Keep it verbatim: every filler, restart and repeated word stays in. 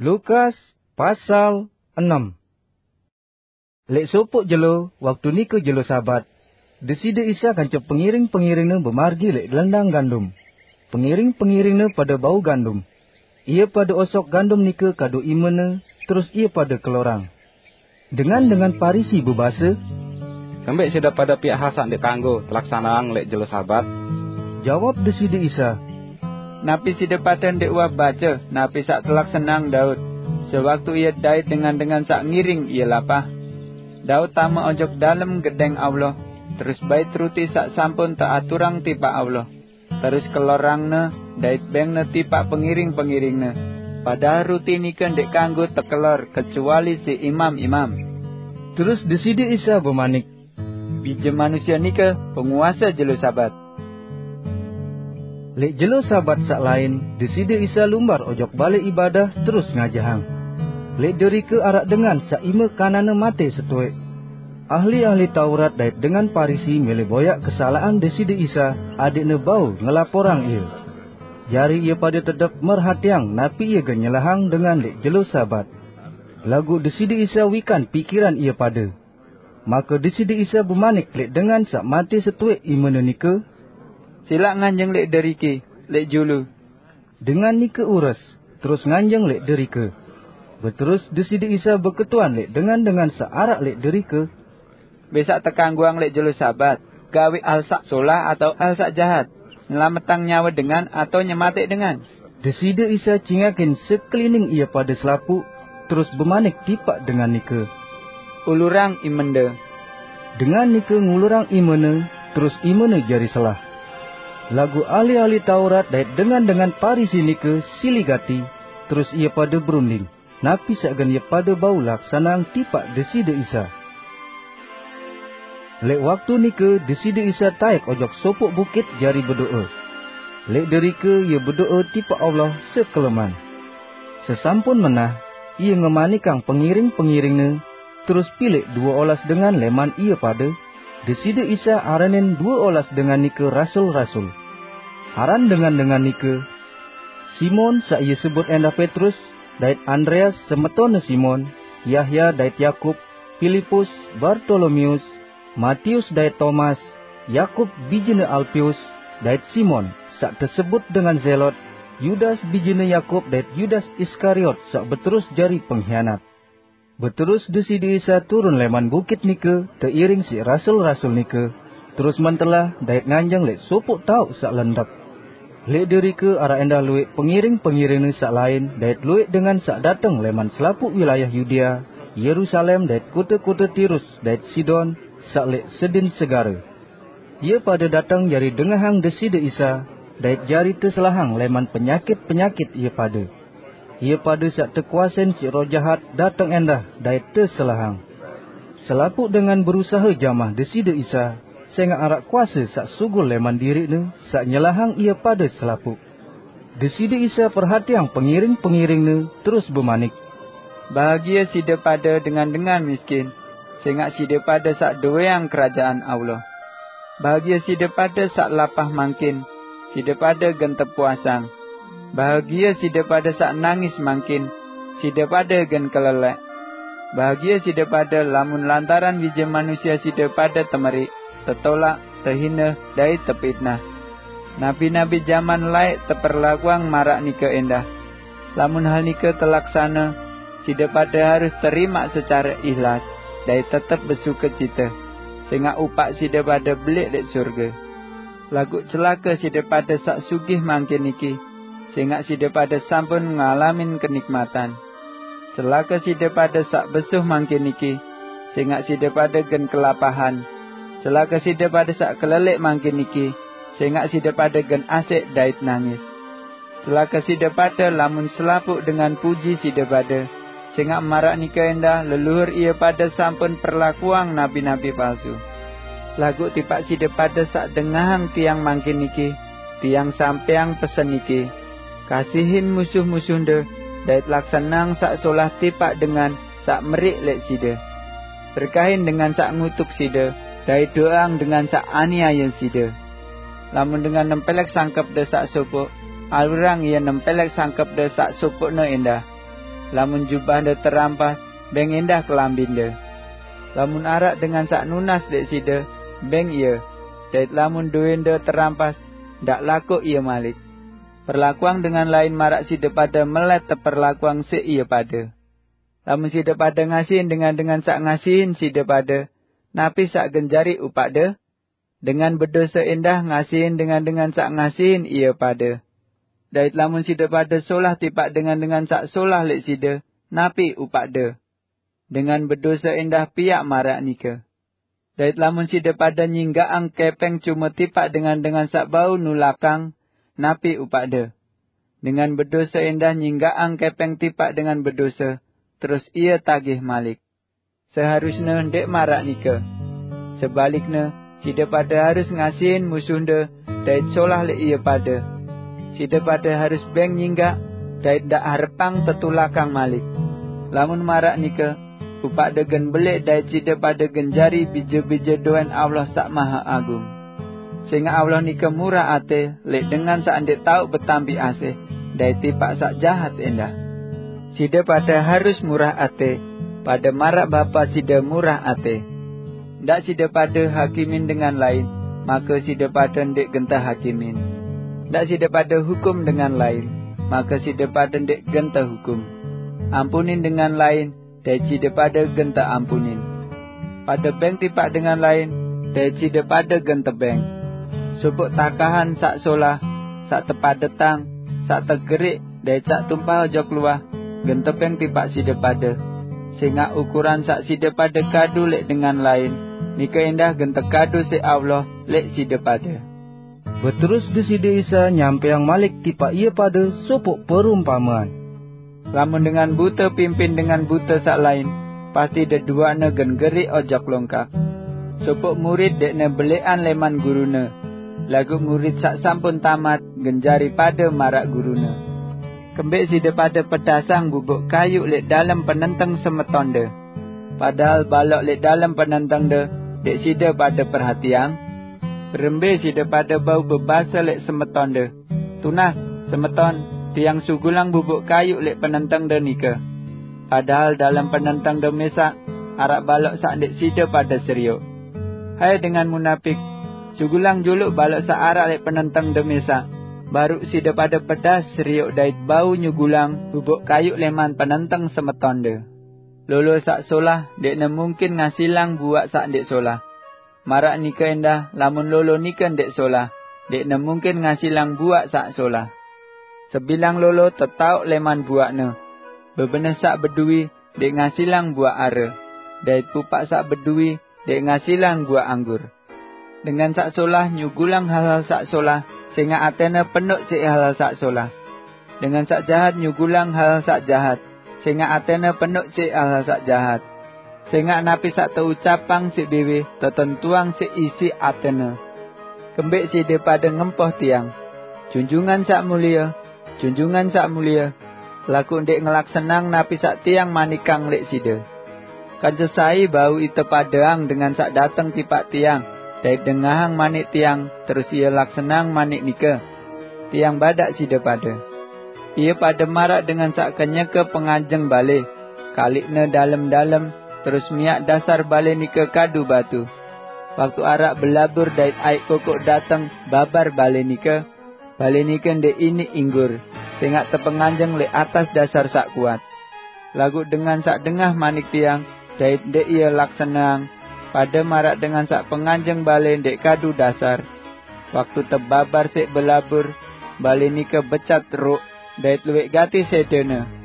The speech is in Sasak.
Lukas pasal enem. Lek sopok jelo, waktu nike jelo Sabat, Deside Isa kance pengiring-pengiringne bemargi lek lendang gandum. Pengiring-pengiringne pada bau gandum. Ia pada osok gandum nike kadu imene, terus ia pada kelorang. Dengan-dengan Parisi bebase, "Kembek sida pada piak hal saq ndeq kanggo telaksaneang lek jelo Sabat?" Jawab Deside Isa, "Napi side pade ndeq uah bace napi saq telaksaneang Daud, sewaktu ie dait dengan-dengan saq ngiring ie lapah? Daud tame ojok dalem Gedeng Allah, terus bait ruti saq sampun teaturang tipaq Allah, terus kelorangna dait bengne tipaq pengiring-pengiringne, padahal ruti nike ndeq kanggo tekelor kecuali siq imam-imam." Terus Deside Isa bemanik, "Bije Manusie nike penguase jelo Sabat." Lek jelo Sabat saq lain, Deside Isa lumbar ojok Bale Ibadah terus ngajahang. Lek derike araq dengan saq ime kananne mate setoeq. Ahli-ahli Taurat dait dengan Parisi mele boyaq kesalaqan Deside Isa, adeqne bau ngelaporang Ie. Jari ie pade tedep merhatiang napi Ie gen nyelahang dengan lek jelo Sabat. Laguq Deside Isa wikan pikiran ie pade. Make Deside Isa bemanik lek dengan saq mate setoeq imene nike, "Silaq nganjeng lek deriki, lek julu." Dengan nike ures, terus nganjeng lek derike. Beterus Deside Isa beketuan lek dengan-dengan saq araq lek derike, "Mbe saq tekanggoang lek jelo Sabat, gaweq hal saq solah atao hal saq jahat, nyelametang nyawe dengan atao nyemateq dengan?" Deside Isa cingakin sekelining ie pade selapuq, terus bemanik tipaq dengan nike, "Ulurang imende." Dengan nike ngulurang imene, terus imene jari selah. Laguq ahli-ahli Taurat dait dengan-dengan Parisi nike sili gati, terus ie pade berunding napi saq gen ie pade bau laksaneang tipaq Deside Isa. Lek waktu nike Deside Isa taek ojok sopoq bukit jari bedoe. Lek derike Ie bedoe tipaq Allah sekeleman. Sesampun menah, Ie ngemanikang pengiring-pengiringne, terus pileq due olas dengan leman ie pade, Deside Isa aranin due olas dengan nike rasul-rasul. Aran dengan-dengan nike: Simon, saq ie sebut endah Petrus, dait Andreas, semetonne Simon, Yahya dait Yakub, Pilipus, Bartolomeus, Matius dait Tomas, Yakub bijene Alpius, dait Simon, saq tesebut dengan Zelot, Yudas bijene Yakub, dait Yudas Iskariot, saq beterus jari penghianat. Beterus Deside Isa turun leman bukit nike, teiring siq rasul-rasul nike, terus mentelah dait nganjeng leq sopoq taoq saq lendep. Leq derike araq endah lueq pengiring-pengiringne saq lain dait lueq dengan saq dateng leman selapuq wilayah Yudea, Yerusalem dait kote-kote Tirus dait Sidon, saq leq sedin segare. Ie pade dateng jari dengahang Deside Isa, dait jari teselahang leman penyakit-penyakit ie pade. Ie pade saq tekuasein siq roh jahat dateng endah dait teselahang. Selapuq dengan berusahe jamah Deside Isa, sengaq araq kuase saq sugul leman diriqne saq nyelahang ie pade selapuq. Deside Isa perhatiang pengiring-pengiringne, terus bemanik, "Bahagie side pade dengan-dengan miskin, sengaq side pade saq doweang Kerajaan Allah. Bahagie side pade saq lapah mangkin, side pade gen tepuasang. Bahagie side pade saq nangis mangkin, side pade gen kelelek. Bahagie side pade lamun lantaran Bije Manusie side pade temeriq, tetolaq, tehine, dait tepitnah. Nabi-nabi jaman laeq teperlakuang maraq nike endah. Lamun hal nike telaksane, side pade harus terimaq secare ihlas dait tetep besukecite, sengaq upaq side pade beleq leq sorge. Laguq celake side pade saq sugih mangkin niki, sengaq side pade sampun ngalamin kenikmatan. Celake side pade saq besuh mangkin niki, sengaq side pade gen kelapahan. Celake side pade saq kelelek mangkin niki, sengaq side pade gen asek dait nangis. Celake side pade lamun selapuq dengan puji side pade, sengaq maraq nike endah leluhur ie pade sampun perlakuang nabi-nabi palsu. Laguq tipaq side pade saq dengahang Tiang mangkin niki, Tiang sampeang pesen niki: Kasihin musuh-musuhnde, dait laksaneang saq solah tipaq dengan saq meriq leq side. Berkahin dengan saq ngutuk side, dait doang dengan saq aniaye side. Lamun dengan nempelek sangkepde saq sopoq, alurang ie nempelek sangkepde saq sopoqne endah. Lamun jubahde terampas, beng endah kelambinde. Lamun arak dengan sak nunas dek side, beng iya. Dait lamun duwende terampas, ndak lakuq iya malik. Perlakuang dengan lain marak side pade melet teperlakuang sik iya pade. Lamun side pade ngasihin dengan-dengan sak ngasihin side pade, napi sak genjari upakde? Dengan bedose endah ngasihin dengan-dengan sak ngasihin iya pade. Dait lamun side pade solah tipaq dengan-dengan sak solah leq side, napi upakde? Dengan bedose endah piaq maraq nike. Dait lamun side pade nyinggaqang kepeng cume tipaq dengan-dengan sak bau nulakang, napi upakde? Dengan bedose endah nyinggaqang kepeng tipaq dengan bedose, terus ie tagih malik. Seharusne ndeq maraq nike. Sebalikne, side pade harus ngasihin musuhde dait solah leq ie pade. Side pade harus beng nyinggaq dait ndaq harepang tetulakang malik. Lamun maraq nike, upakde gen beleq dait side pade gen jari bije-bije doen Allah Saq Mahe Agung. Sengaq Allah nike murah ate leq dengan saq ndeq tao betampi asih dait tipaq saq jahat endah. Side pade harus murah ate, pade maraq Bapa side murah ate. Ndaq side pade hakimin dengan lain, make side pade ndeq gen tehakimin. Ndaq side pade hukum dengan lain, make side pade ndeq gen tehukum. Ampunin dengan lain, dait side pade gen teampunin. Pade beng tipaq dengan lain, dait side pade gen tebeng. Sopoq takahan saq solah, saq tepadetang, saq tegeriq, dait saq tumpah ojok luah, gen tebeng tipaq side pade. Sengaq ukuran saq side pade kadu leq dengan lain, nike endah gen tekadu siq Allah leq side pade. Beterus Deside Isa nyampeang malik tipaq ie pade sopoq perumpamean. Lamun dengan bute pimpin dengan bute saq lain, pasti deduaqne gen geriq ojok longkak. Sopoq murid ndeqne beleqan leman gurune, laguq murid saq sampun tamat gen jari pade maraq gurune. Kembeq side pade pedasang bubuk kayuq leq dalem penenteng semetonde, padahal balok leq dalem penentengde ndeq side pade perhatiang? Berembe side pade bau bebase leq semetonde, "Tunas, semeton, tiang sugulang bubuk kayuq leq penentengde nike," padahal dalem penentengde mesaq araq balok saq ndeq side pade serioq? Hai dengan munapik, sugulang juluq balok saq araq leq penentengde mesaq, baruq side pade pedas serioq dait bau nyugulang bubuk kayuq leman penenteng semetonde. Lolo saq solah ndeqne mungkin ngasilang buaq saq ndeq solah. Maraq nike endah, lamun lolo nike ndeq solah, ndeqne mungkin ngasilang buaq saq solah. Sebilang lolo tetaoq leman buaqne. Bebeneh saq beduwi ndeq ngasilang buaq are, dait pupaq saq beduwi ndeq ngasilang buaq anggur. Dengan saq solah nyugulang hal-hal saq solah, sengaq atene penuq siq hal-hal saq solah. Dengan saq jahat nyugulang hal-hal saq jahat, sengaq atene penuq siq hal-hal saq jahat. Sengaq napi saq teucapang siq biwih tetentuang siq isi atene. Kembeq side pade ngempoh tiang, "Junjungan saq mulie, junjungan saq mulie," laguq ndeq ngelaksanang napi saq tiang manikang leq side? Kance sai bau ite padeang dengan saq dateng tipaq tiang dait dengahang manik tiang, terus ie laksanang manik nike? Tiang badaq side pade, ie pade maraq dengan saq kenyeke penganjeng bale, kaliqne dalem-dalem, terus miaq dasar bale nike kadu batu. Waktu araq belabur dait aiq kokoq dateng babar bale nike, bale nike ndeq iniq inggur, sengaq tepenganjeng leq atas dasar saq kuat. Laguq dengan saq dengah manik tiang, dait ndeq ie laksaneang, pade maraq dengan saq penganjeng bale ndeq kadu dasar. Waktu tebabar siq belabur, bale nike becat roq, dait lueq gati sedene.